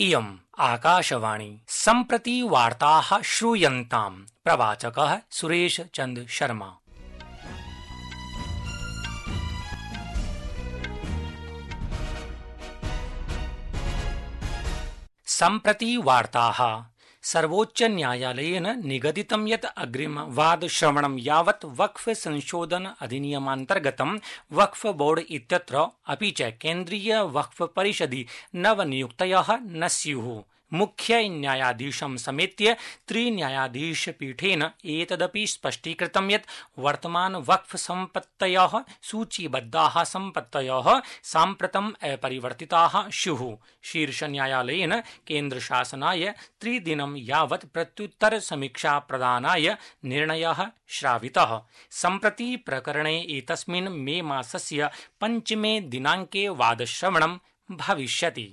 इयम् आकाशवाणी सम्प्रति वार्ताः श्रूयन्ताम्। प्रवाचकः सुरेश चन्द्र शर्मा। सम्प्रति वार्ताः। सर्वोच्च न्यायालयेन निगदितं यत् अग्रिमवादश्रवणं यावत् वक्फ संशोधन अधिनियमान्तर्गतं वक्फ बोर्ड इत्यत्र अपि च केन्द्रीय वक्फ परिषदि नवनियुक्तयः न स्युः। मुख्य न्यायाधीशं समेत्य त्रिन्यायाधीशपीठेन एतदपि स्पष्टीकृतं यत् वर्तमान वक्फ सम्पत्तयः सूचीबद्धाः सम्पत्तयः साम्प्रतम् अपरिवर्तिताः स्युः। शीर्षन्यायालयेन केन्द्रशासनाय 3 दिनं यावत् प्रत्युत्तर समीक्षा प्रदानाय निर्णयः श्रावितः। सम्प्रति प्रकरणे एतस्मिन् मे मासस्य 5 दिनाङ्के वादश्रवणं भविष्यति।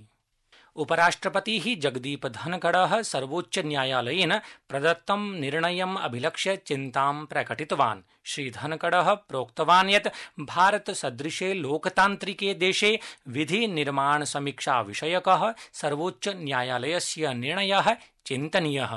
उपराष्ट्रपतिः जगदीप धनखडः सर्वोच्च न्यायालयेन प्रदत्तं निर्णयम् अभिलक्ष्य चिन्तां प्रकटितवान्। श्रीधनखडः प्रोक्तवान् यत् भारतसदृशे लोकतान्त्रिके देशे विधि निर्माण समीक्षा विषयकः सर्वोच्च न्यायालयस्य निर्णयः चिन्तनीयः।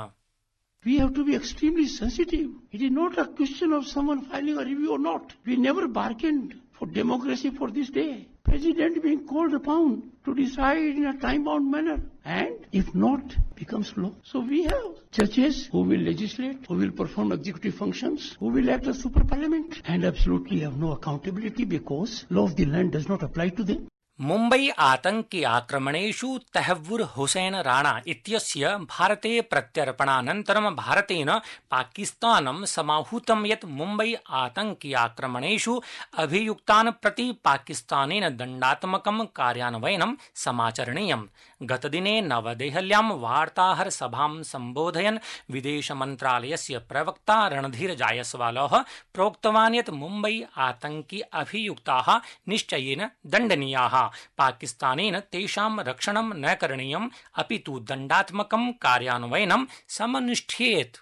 We have to be extremely sensitive. It is not a question of someone filing a review or not. We never bargained for democracy for this day. President being called upon to decide in a time-bound manner, and if not, becomes law. So we have judges who will legislate, who will perform executive functions, who will act as super parliament, and absolutely have no accountability because law of the land does not apply to them. Mumbai आतंकि आक्रमणेषु तहव्वुर हुसैन राणा इत्यस्य भारते प्रत्यर्पणानन्तरं भारतेन पाकिस्तानं समाहूतं यत् मुम्बई आतंकि आक्रमणेषु अभियुक्तान् प्रति पाकिस्तानेन दण्डात्मकं कार्यान्वयनं समाचरणीयम्। गतदिने नवदेहल्यां वार्ताहर सभां सम्बोधयन् विदेशमन्त्रालयस्य प्रवक्ता रणधीर जायसवालः प्रोक्तवान् यत् मुम्बई आतंकि अभियुक्ताः निश्चयेन दण्डनीयाः। पाकिस्तानेन तेषां रक्षणं न करणीयम् अपितु दण्डात्मकं कार्यान्वयनं समनुष्ठेत्।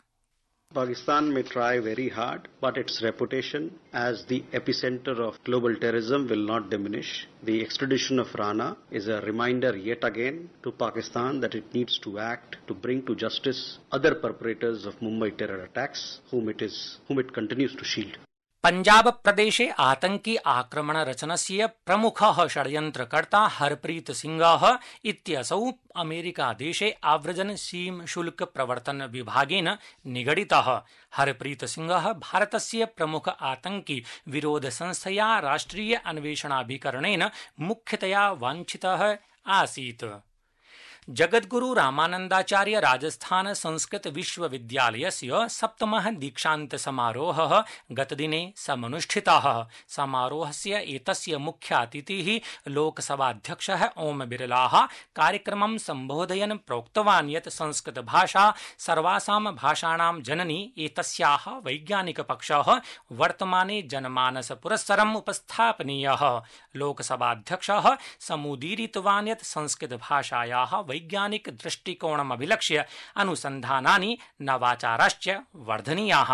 Pakistan may try very hard, but its reputation as the epicenter of global terrorism will not diminish. The extradition of Rana is a reminder yet again to Pakistan that it needs to act to bring to justice other perpetrators of Mumbai terror attacks, whom it continues to shield. Punjab प्रदेशे आतंकि आक्रमण रचनस्य प्रमुखः षड्यन्त्रकर्ता हरप्रीत सिंहः इत्यसौ America देशे आव्रजन सीम शुल्क प्रवर्तन विभागेन निगडितः। हरप्रीत सिंहः भारतस्य प्रमुख आतंकि विरोध संस्थया राष्ट्रिय अन्वेषणाभिकरणेन मुख्यतया वाञ्छितः आसीत्। जगद्गुरु रामानन्दाचार्य राजस्थान संस्कृत विश्वविद्यालयस्य 7मः दीक्षान्त समारोहः गतदिने समनुष्ठितः। समारोहस्य एतस्य मुख्यातिथिः लोकसभाध्यक्षः ओम बिरलाः कार्यक्रमं सम्बोधयन् प्रोक्तवान् यत् संस्कृत भाषा सर्वासां भाषाणां जननी एतस्याः वैज्ञानिकपक्षः वर्तमाने जनमानस पुरस्सरम् उपस्थापनीयः। लोकसभाध्यक्षः समुदीरितवान् यत् संस्कृत भाषायाः वैज्ञानिक दृष्टिकोणमभिलक्ष्य अनुसन्धानानि नवाचाराश्च वर्धनीयाः।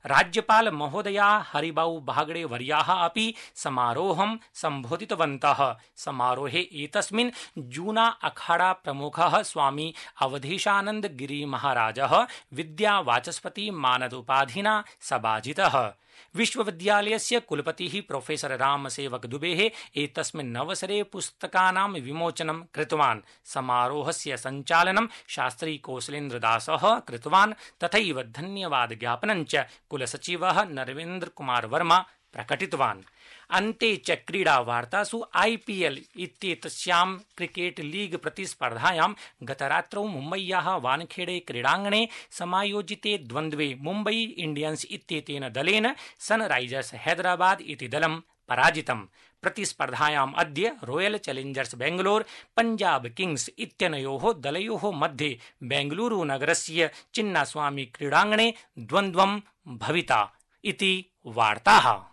राज्यपाल महोदया हरिबाऊ बागड़े वर्याः अपि समारोहं सम्बोधितवन्तः। समारोहे एतस्मिन् जूना अखाड़ा प्रमुखः स्वामी अवधेशानंद गिरी महाराजः विद्यावाचस्पति मानद उपाधिना सभाजितः। विश्वविद्यालयस्य कुलपतिः प्रोफेसर रामसेवक दुबेः एतस्मिन् अवसरे पुस्तकानां विमोचनं कृतवान्। समारोहस्य सञ्चालनं शास्त्री कौशलेन्द्रदासः कृतवान्। तथैव धन्यवाद ज्ञापनं च कुलसचिवः नरवेन्द्र कुमार वर्मा प्रकटितवान्। अन्ते च क्रीडा वार्तासु IPL इत्येतस्यां क्रिकेट लीग प्रतिस्पर्धायां गतरात्रौ मुम्बय्याः वानखेड़े क्रीडाङ्गणे समायोजिते द्वन्द्वे मुम्बई इंडियन्स इत्येतेन दलेन सनराइजर्स हैदराबाद इति दलं पराजितम्। प्रतिस्पर्धायाम् अद्य royal Challengers Bangalore Punjab Kings इत्यनयोः दलयोः मध्ये बेंगलुरु नगरस्य चिन्नास्वामी क्रीडाङ्गणे द्वन्द्वं भविता इति वार्ताः।